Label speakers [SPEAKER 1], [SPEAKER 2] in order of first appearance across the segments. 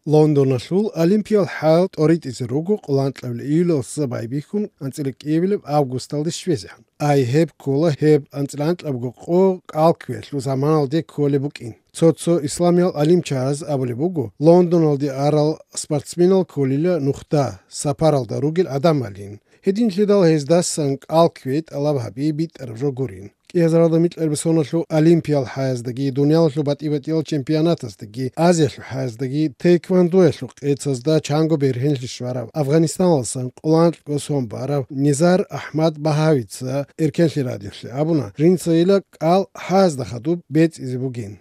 [SPEAKER 1] ლონდონაშულ ოლიმპიალ ჰალ ტორიტის როგო ყლანტლევ იულოს ბაიბიხუნ ანწილ კიევილ ავგუსტალდი შვეზეჰან აი ჰებ კოლა ჰებ ანწლანტლევ ყო კალკვეს ლუსამალდე კოლებუკინ ცოცო ისლამიალ ალიმჩაზ აბლებუგო ლონდონალდი არალ სპორტსმენალ კოლილა ნუხტა საფარალდა როგილ ადამალინ ჰედინ ლედალ ჰეზდასან კალკვეთ ალაბჰაბი ბიტერ როგურინ Езрада митлербесонашлу олимпиал хаздagi дунялшлу батибатиал чемпионатастаги азияшлу хаздagi тэквондошлу эцазда чанго берхенлишвара Афганистаналсан qulantlo sombara Nizar Ahmad Bahavica erkenli radioshli abuna rinsaila qal hazda khadub bet izbugin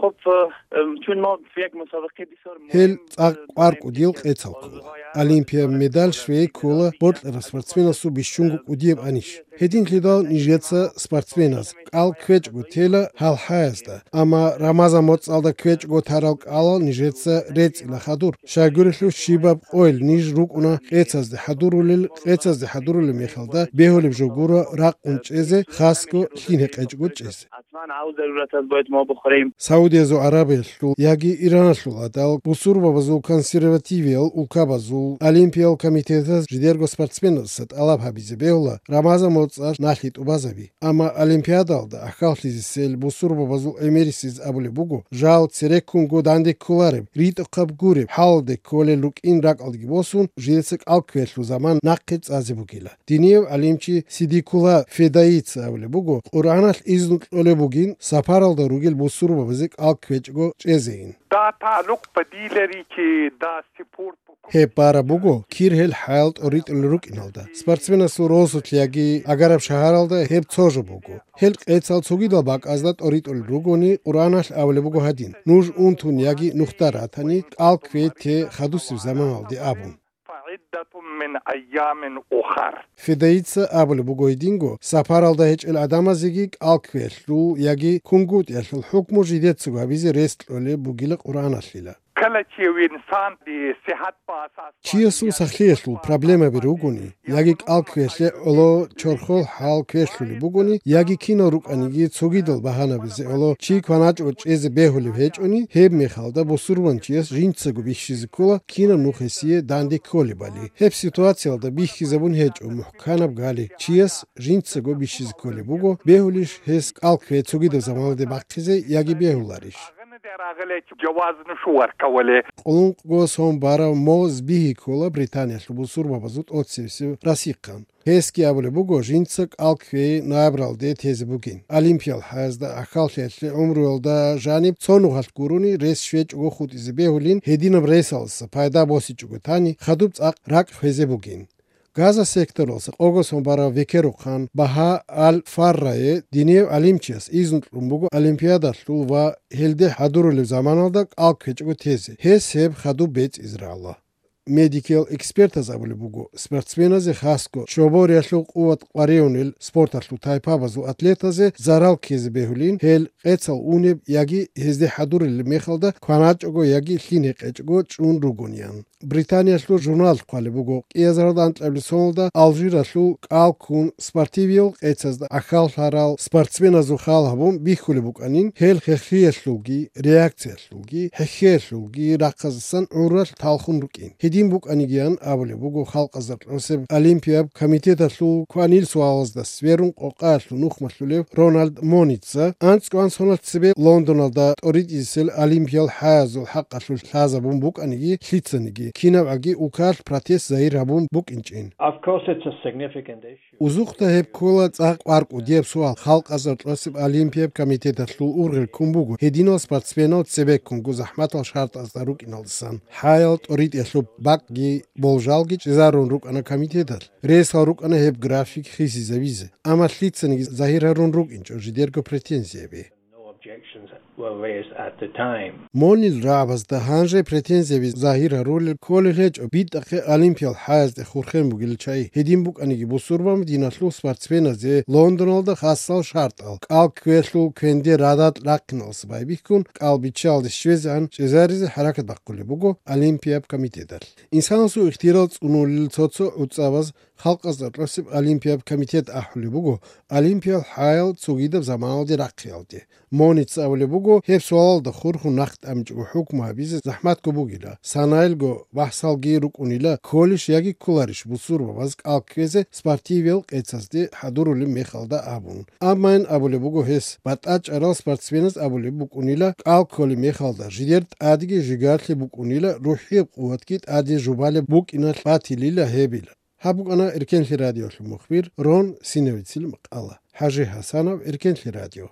[SPEAKER 2] خب چون ما في یک مسابقه بسیار
[SPEAKER 1] هل قارق ودیل قیتال کلا Олимпия медаль швей кола ботлера спортсмена су бишчунгу удиеб аниш هدین لیدال نیجیتس سپورتسمن است. آل کوچ گوتیلا حال هست. اما رمضان متصل کوچ گوتارال آل نیجیتس ریت لخادور. شاگردلو شیباب اویل نیج روک اونا قیتاز ده حضورل میخالده بهولی بجوگورا راق اونچیزه خاصکو خینه قیچ گوچیز. سعودی زو عربیشلو یکی ایرانشلو دال بسور و بازو کنسرواتیویل اوکابازو الیمپیال کمیته جدیرگو سپورتسمن است. آلاب هبیزه بهولا رمضان متصل نخیت اوبازوی. اما الیمپیادالدا اخالتیزیسل بسور و بازو امریسیز ابولی بگو جال سرکونگو دانده کولارم ریت قب گوریم حال ده کوله لوک این راک آلگی باسون جیلسک آلکویلو زمان نقیت ازی بگیلا. دینیو الیمچی سیدیکولا فداییت ابولی بگو قرآنش ایزنک اولی بگین سپارالدا روگیل بسور و بازیک آلکویچگو چیزین.
[SPEAKER 3] دا تعلق بدیلری که دا سپورت
[SPEAKER 1] هپارا بگو کیر هل حالت اوریت الروک اینالدا. سپورتسمن سوروسوت لیاگی اگراب شهرالدا هپ توجو بگو. هل قیتال توگی دل باگ ازداد اوریت الروگونی قرآنش اولی بگو هدین. نوج اون تون یاگی نختاراتانی آلکویت که خدوسی زمان آلدی آبون.
[SPEAKER 3] من ایام اخر
[SPEAKER 1] فدایت ابل بگویدینگو سپارالدا هیچ الادام زیگیک آلکویل رو یاگی کنگوت یشل حکم جدید سوگا بیزی رست اولی بگیل قرآن اشلیلا
[SPEAKER 3] کله چې انسان د صحت په اساس
[SPEAKER 1] چیسو سخلیشلو پرابلم بیروگونی یاگی آلکویل اولو چرخول حال کویشلی بگونی یاگی کینو روک انیگی سوگیدل بهانه بیزی اولو چی کناج و چیز بهولی هیچ اونی هب میخالده بسورون چیز جینچگو بیشیز کولا کینو نوخسیه دانده کولی بالی هب سیتواسیالدا بیخیزبون هیچ او محکانب گالی چیز جینچگو بیشیز کولی بگو بهولیش هست آلکویل سوگیدل زمانده باقیزه یاگی بهولاریش
[SPEAKER 3] جواز نشو ورکوله
[SPEAKER 1] اون گوسون بارا موز بیهی کولا بریتانیا شلبوسور بابازوت اوتسیوسی راسیقان هسکی ابله بگو جینسک آلکوی نابرالده تیز بگین الیمپیال هزده اخالشیتلی عمرولده جانب چونو هست گرونی ریس شویچ او خود ایزی بهولین هدینم ریسالس پایدا باسی چگو تانی خدوبت اق راک خیزه بگین Gaza sektorolsa ogoson bara vekeruqan baha al farraye dinev alimchis izntlumbugo olimpiyada va helde hadurul zamanalda alkechgo tezi heseb khadu bet izralla medical expertas abulugo sportsmenaze khasko chobor yashlu quvat qarionil sportaslu taypabazu atletaze zaral kezbehulin hel qetsal uneb yagi hezde haduril mekhalda kvanachgo yagi line qechgo chun rugonian Britaniyaşlu jurnal qalibugo qezardan tleblsonda Aljiraslu qalkun sportivil qetsazda axal haral sportsmenazu xalhabum bixulibuqanin hel xexiyashlugi reaksiyashlugi hexiyashlugi raqazsan ural talxun ruqin Hedin buqanigian abulugo xalqazarloseb Olimpiya komitetaslu qanil sualazda sverun qoqaslu nuxmaslulev Ronald Monitsa antsqan sonatsebe Londonalda oridisel Olimpiyal hazul haqqaslu hazabum buqanigi hlitsanigi Kinavagi ukar protest zairabum bukinchen.
[SPEAKER 4] Of course it's a significant issue.
[SPEAKER 1] Uzuqta hep kola tsaq qarq udiyeb sual xalq azartlosib Olimpiya komitetaslu urgil kumbugu hedino sportsmenot sebek kungu zahmat al shart azdaruk inalsan. Hayat orid yashub bakgi boljalgi zarun ruk ana komitetal. Res ruk ana hep grafik khisi zavize. Ama hlitsani zahirarun ruk incho jidergo pretenziebe.
[SPEAKER 4] Objections were raised at the time.
[SPEAKER 1] Monil Rabas da hanje pretenziyevi zahira rol kolej bidaqe Olimpiyal hazde khurkhen bugil chay hedin buk anigi busurbam dinaslu sportsmenaze Londonalda khassal shartal qalkweslu kendi radat laqnals baybikun qalbichal shvezan cezarize harakat baquli bugo Olimpiya komitedal insansu ixtiral unul tsotso utsavaz xalqazarlosib Olimpiya komitet ahli bugo Olimpiyal hayal tsugidab zamanaldi raqialdi Monitsa avli bugo ბუგო ჰებსვალალდა ხურხუ ნახტ ამჭგო ჰუკმა ბიზე ზაჰმათ გობუგილა სანაილგო ვაჰსალგი რუკუნილა ქოლიში იაგი ქულარიშ ბუსურბა ბაზ კალკეზე სპარტიվել ყეცასდი ჰადურული მეხალდა აბუნ ამან აბულე ბუგო ჰეს ბატაჭ არალ სპორტსმენს აბულე ბუკუნილა კალკოლი მეხალდა ჟიდერტ ადი ჟიგართლი ბუკუნილა რუჰი ყუათკით ადი ჟუბალე ბუკინა პათილილა ჰებილა ჰაბუკანა ერკენლი რადიოში მოხბիր რონ სინევიცილ მყალა ჰაჟი ჰასანოვ ერკენლი რადიო